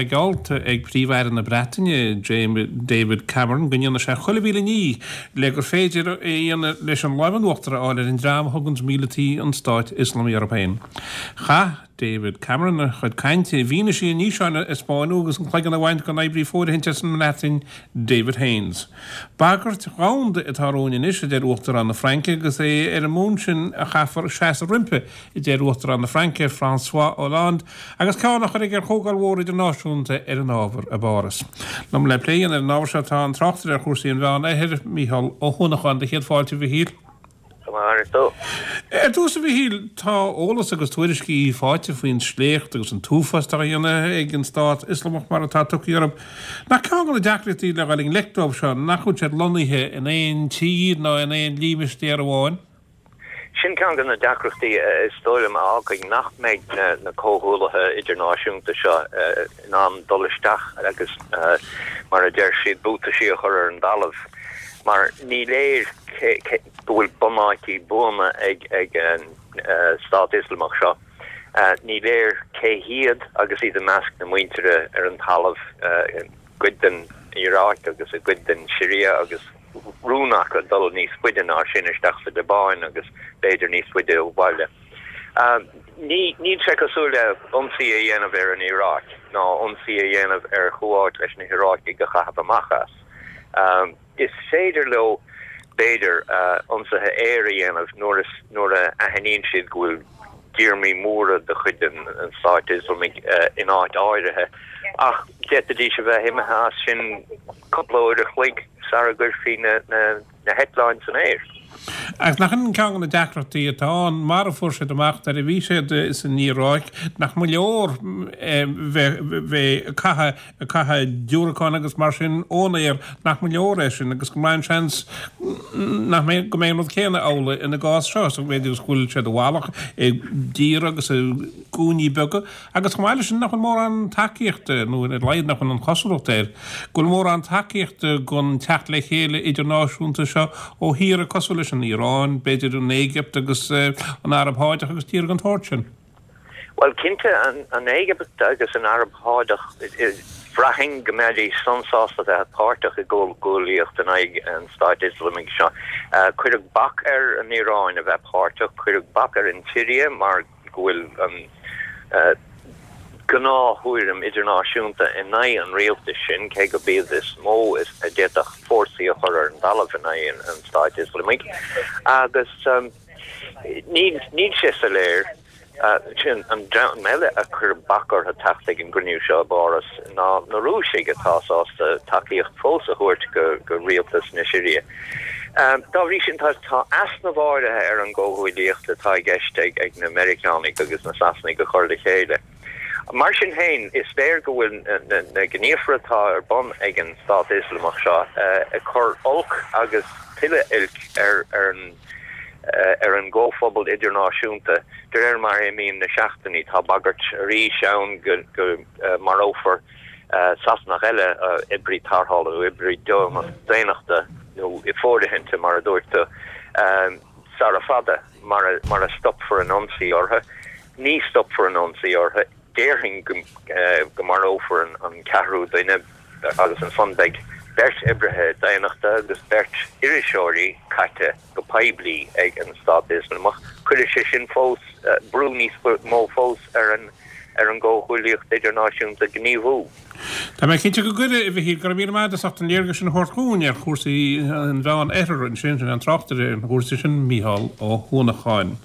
Geallta ag Príomh-Aire na Breataine, David Cameron, go ndéanfaidh sé chuile mhíle ní le gur féidir a dhéanamh leis an lámh in uachtar a fháil ar an dream a thuganns míleataí an Stáit Ioslamaigh orthu féin. Chaith David Cameron a chuid cainte i bhfianaise an fhíseáin a spáineadh agus an cloigeann á bhaint den oibrí fóirithinte as an mBreatain, David Haines. Bagairt dhomhanda atá romhainn anois, a deir Uachtarán na Fraince, agus é ar an mbonn sin a chaithfear seasamh roimpi. a deir Uachtarán na Fraince, François Hollande, agus ceann á chur aige ar chomhdháil mhór idirnáisiúnta ar an ábhar i bPáras. Liom le plé a dhéanamh ar an ábhar seo tá an tráchtaire ar chúrsaí an Mheán Oirthir, Mícheál Ó hUanacháin. Do chéad fáilte, a Mhichíl. Go maith tú. Ar dtús, a Mhichíl, tá eolas agus tuairiscí faighte faoin sléacht agus an t-uafás atá á dhéanamh ag an Stát Ioslamach, mar atá tugtha orthu. Nach ceann de na deacrachtaí le dhul i ngleic dóibh seo nach bhfuil siad lonnaithe in aon tír ná in aon límistéar amháin? Sin ceann de na deacrachtaí is dóigh liom a fhágfaidh nach mbeidh na comhghuaillithe idirnáisiúnta seo in ann dul isteach agus, mar a deir siad, buataisí a chur ar an dtalamh mar ní léir go bhfuil bunáití buana ag an Stát Ioslamach seo. Ní léir cé hiad agus iad i measc na muintire ar an talamh i gcuid den Iaráic agus i gcuid den Siria agus rún acu dul níos faide ná sin isteach sa Liobáin agus b'fhéidir níos faide ó bhaile. Níl sé cosúil le ionsaí a dhéanamh ar an Iaráic ná ionsaí a dhéanamh ar Chuáit leis na hIaráicigh a chaitheamh amach as. Is féidir leo, b'fhéidir, ionsaithe aeir a dhéanamh nuair nuair a aithníonn siad go bhfuil díormaí móra de chuid an Stáit Ioslamaigh in áit áirithe ach d'fhéadfaidís a bheith imithe as sin cúpla uair a chloig sara gcuirfí na heitleáin san aer. Ach nach in ceann de na deacrachtaí atá ann, mar a fuair siad amach nuair a bhí siad san Iaráic, nach mba leor bheith ag caitheamh ag caitheamh diúracán agus mar sin ón aer, nach mba leor é sin agus go mbeidh an seans nach mbeidh, go mbeidh an rud céanna amhlaidh ina gcás seo, sa mhéid is go bhfuil siad i bhfalach i dtíortha agus i gcúinní beaga. Agus chomh maith leis sin, nach bhfuil mórán tacaíochta, nó ar a laghad nach bhfuil an chosúlacht air, go bhfuil mórán tacaíochta don teacht le chéile idirnáisiúnta seo ó thíortha cosúil leis an Iaráin, b'fhéidir an Éigipt agus an Araib Sháideach agus tíortha den tsórt sin. Bhuel, cinnte, an Éigipt agus an Araib Sháideach, bhraithfinn go mbeidís an-sásta bheith páirteach i gcomhghuaillíocht in aghaidh an Stáit Ioslamaigh seo. Cuireadh bac ar an Iaráin a bheith páirteach, cuireadh bac ar an tSiria mar go bhfuil an gnáth-thuairim idirnáisiúnta in aghaidh an rialtais sin, cé gurb iad is mó a d'fhéadfadh fórsaí a chur ar an dtalamh in aghaidh an Stáit Ioslamaigh. Agus níl sé soiléir, sin an dream eile a cuireadh bac orthu teacht ag an gcruinniú seo i bPáras ná na Rúisigh atá sásta tacaíocht fós a thabhairt go rialtas na Siria. Dá bhrí sin, tá easnamh áirithe ar an gcomhghuaillíocht atá i gceist ag na Meiriceánaigh agus na Sasanaigh a chur le chéile. Mar sin féin, is léir go bhfuil na gníomhartha atá ar bun ag an Stát Ioslamach seo ag cur olc agus tuilleadh oilc ar ar an gcomhphobal idirnáisiúnta de réir mar a imíonn na seachtainí. Tá bagairt arís ann go marófar Sasanach eile, oibrí tarrthála nó oibrí daonnachta nó fóirithinte mar a dúirt tú, sara fada, mara stopfar an ionsaí orthu. Ní stopfar an ionsaí orthu. Déarfainn go marófar an ceathrú duine agus ansan beidh beirt oibrithe daonnachta agus beirt iriseoirí caite go poiblí ag an Stát Ioslamach. Cuirfidh sé sin fós brú níos mó fós ar an ar an gcomhghuaillíocht idirnáisiúnta gníomhú. Tá mé cinnte go gcuirfidh, a Mhichíl. Go raibh míle maith agat as ucht an léargas sin a thabhairt dhúinn ar chúrsaí an Mheán Oirthir ansin. Sin an tráchtaire ar na cúrsaí sin, Mícheál Ó hUanacháin.